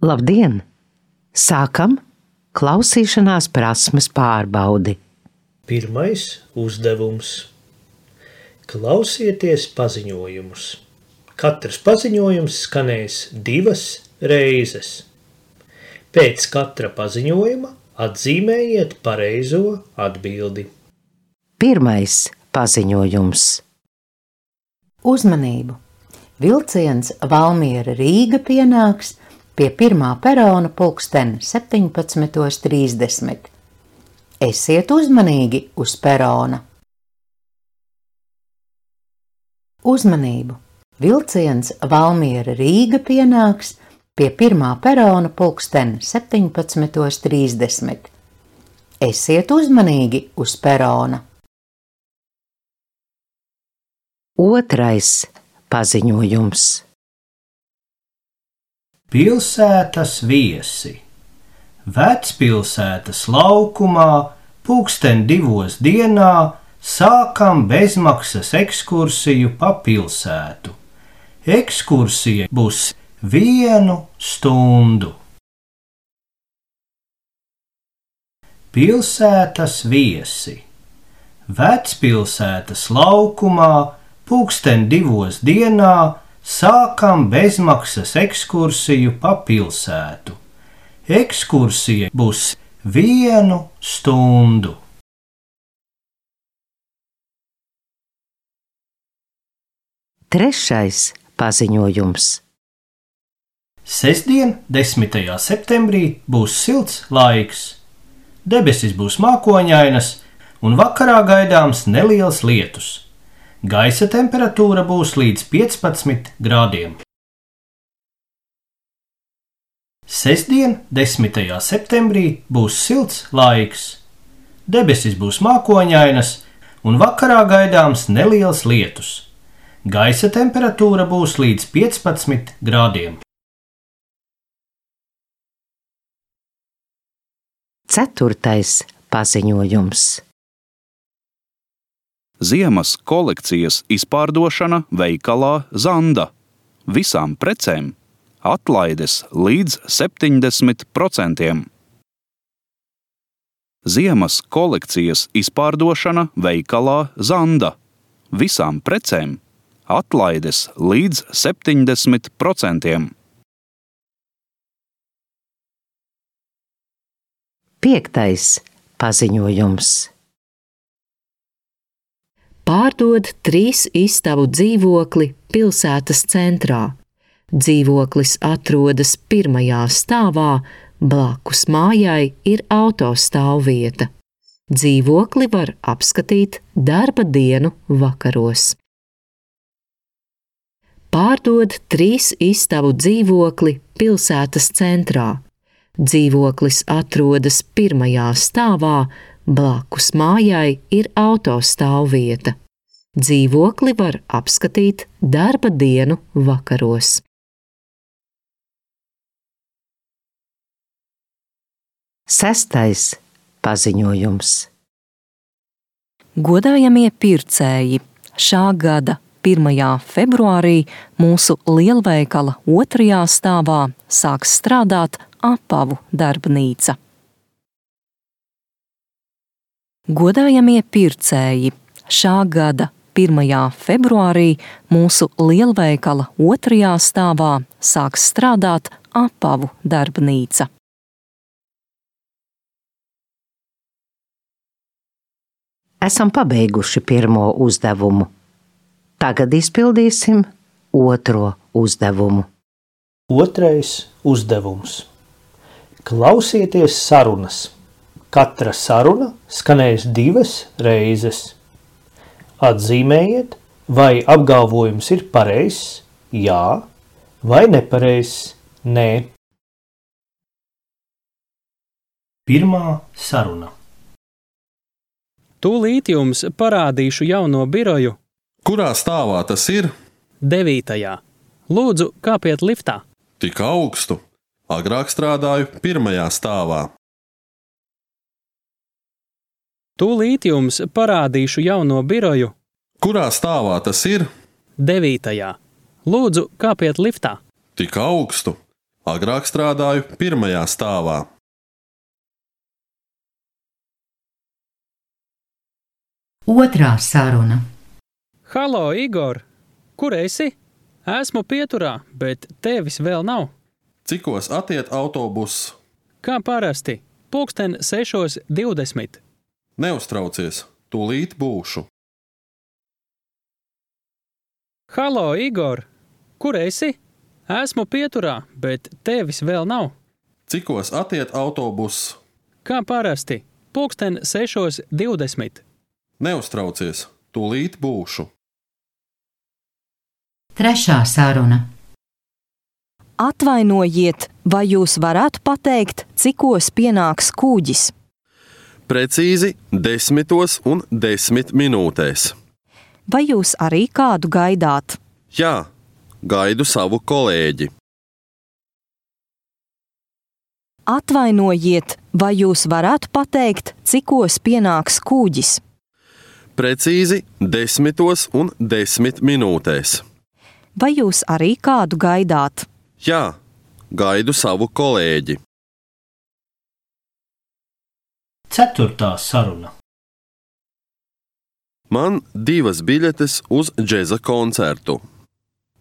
Labdien! Sākam klausīšanās prasmes pārbaudi. Pirmais uzdevums. Klausieties paziņojumus. Katrs paziņojums skanēs 2 reizes. Pēc katra paziņojuma atzīmējiet pareizo atbildi. Pirmais paziņojums. Uzmanību! Vilciens Valmiera–Rīga pienāks pie 1. perona pulksten 17:30. Esiet uzmanīgi uz perona. Uzmanību! Vilciens Valmiera–Rīga pienāks pie 1. perona pulksten 17:30. Esiet uzmanīgi uz perona. Otrais paziņojums. Pilsētas viesi. Vecpilsētas laukumā pulksten 2 dienā sākam bezmaksas ekskursiju pa pilsētu. Ekskursija būs 1 stundu. Pilsētas viesi. Vecpilsētas laukumā pulksten 2 dienā sākam bezmaksas ekskursiju pa pilsētu. Ekskursija būs 1 stundu. Trešais paziņojums. Sestdien, 10. septembrī, būs silts laiks. Debesis būs mākoņainas un vakarā gaidāms neliels lietus. Gaisa temperatūra būs līdz 15 grādiem. Sestdien, 10. septembrī, būs silts laiks. Debesis būs mākoņainas un vakarā gaidāms neliels lietus. Gaisa temperatūra būs līdz 15 grādiem. Ceturtais paziņojums. Ziemas kolekcijas izpārdošana veikalā Zanda. Visām precēm atlaides līdz 70%. Ziemas kolekcijas izpārdošana veikalā Zanda. Visām precēm atlaides līdz 70%. Piektais paziņojums. Pārdod 3 istabu dzīvokli pilsētas centrā. Dzīvoklis atrodas 1. stāvā, blakus mājai ir autostāvvieta. Dzīvokli var apskatīt darba dienu vakaros. Pārdod 3 istabu dzīvokli pilsētas centrā. Dzīvoklis atrodas 1. stāvā, blakus mājai ir autostāvvieta. Dzīvokli var apskatīt darba dienu vakaros. Sestais paziņojums. Godājamie pircēji, šā gada 1. februārī mūsu lielveikala 2. stāvā sāks strādāt apavu darbnīca. Godājamie pircēji, šā gada 1. februārī mūsu lielveikala 2. stāvā sāks strādāt apavu darbnīca. Esam pabeiguši pirmo uzdevumu. Tagad izpildīsim otro uzdevumu. Otrais uzdevums. Klausieties sarunas. Katra saruna skanēs 2 reizes. Atzīmējiet, vai apgalvojums ir pareizs, jā, vai nepareizs, nē. Pirmā saruna. Tūlīt jums parādīšu jauno biroju. Kurā stāvā tas ir? 9. Lūdzu, kāpiet liftā. Tik augstu. Agrāk strādāju 1. stāvā. Tūlīt jums parādīšu jauno biroju. Kurā stāvā tas ir? 9. Lūdzu, kāpiet liftā. Tik augstu. Agrāk strādāju pirmajā stāvā. Otrā saruna. Halo, Igor! Kur esi? Esmu pieturā, bet tevis vēl nav. Cikos attiet autobuss? Kā parasti, 6:20. Neuztraucies, tūlīt būšu. Halo, Igor! Kur esi? Esmu pieturā, bet tevis vēl nav. Cikos attiet autobuss? Kā parasti, 6:20. Neuztraucies, tūlīt būšu. Trešā saruna. Atvainojiet, vai jūs varētu pateikt, cikos pienāks kuģis? Precīzi 10:10. Vai jūs arī kādu gaidāt? Jā, gaidu savu kolēģi. Atvainojiet, vai jūs varētu pateikt, cikos pienāks kuģis? Precīzi 10:10. Vai jūs arī kādu gaidāt? Jā, gaidu savu kolēģi. Ceturtā saruna. Man 2 biļetes uz džeza koncertu.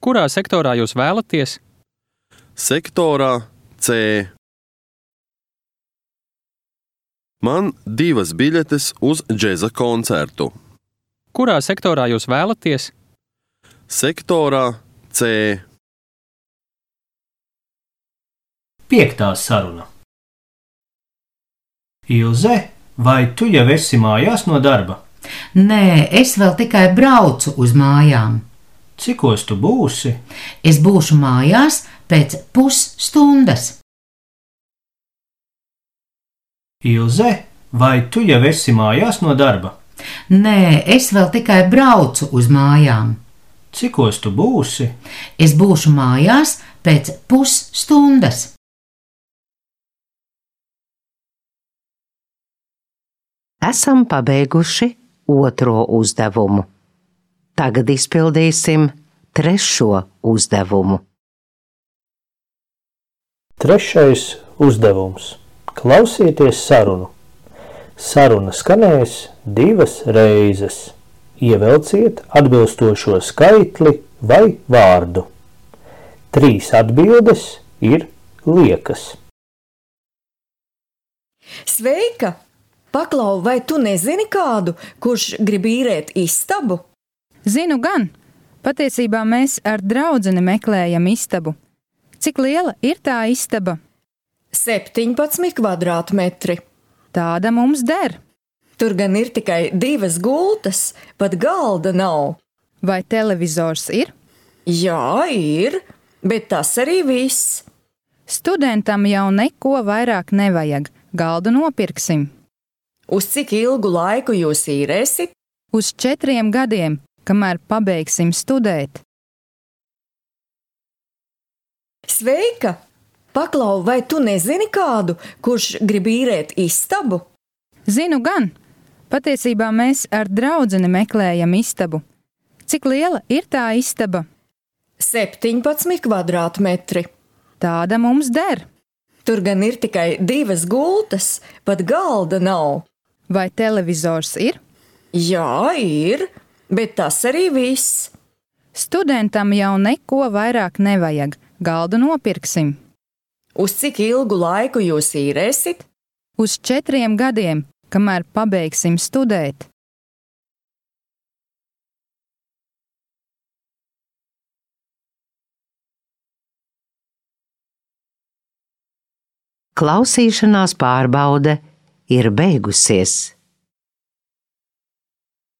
Kurā sektorā jūs vēlaties? Sektorā C. Man 2 biļetes uz džeza koncertu. Kurā sektorā jūs vēlaties? Sektorā C. Piektā saruna. Ilze, vai tu jau esi mājās no darba? Nē, es vēl tikai braucu uz mājām. Cikos tu būsi? Es būšu mājās pēc pusstundas. Ilze, vai tu jau esi mājās no darba? Nē, es vēl tikai braucu uz mājām. Cikos tu būsi? Es būšu mājās pēc pusstundas. Esam pabeiguši otro uzdevumu. Tagad izpildīsim trešo uzdevumu. Trešais uzdevums. Klausieties sarunu. Saruna skanēs 2 reizes. Ievelciet atbilstošo skaitli vai vārdu. 3 atbildes ir liekas. Sveika! Paklau, vai tu nezini kādu, kurš grib īrēt istabu? Zinu gan. Patiesībā mēs ar draudzeni meklējam istabu. Cik liela ir tā istaba? 17 kvadrātmetri. Tāda mums der. Tur gan ir tikai 2 gultas, pat galda nav. Vai televizors ir? Jā, ir, bet tas arī viss. Studentam jau neko vairāk nevajag. Galdu nopirksim. Uz cik ilgu laiku jūs īrēsit? Uz 4 gadiem, kamēr pabeigsim studēt. Sveika! Paklau, vai tu nezini kādu, kurš grib īrēt istabu? Zinu gan. Patiesībā mēs ar draudzeni meklējam istabu. Cik liela ir tā istaba? 17 kvadrātmetri. Tāda mums der. Tur gan ir tikai 2 gultas, pat galda nav. Vai televizors ir? Jā, ir, bet tas arī viss. Studentam jau neko vairāk nevajag. Galdu nopirksim. Uz cik ilgu laiku jūs īrēsit? Uz 4 gadiem, kamēr pabeigsim studēt. Klausīšanās pārbaude ir beigusies.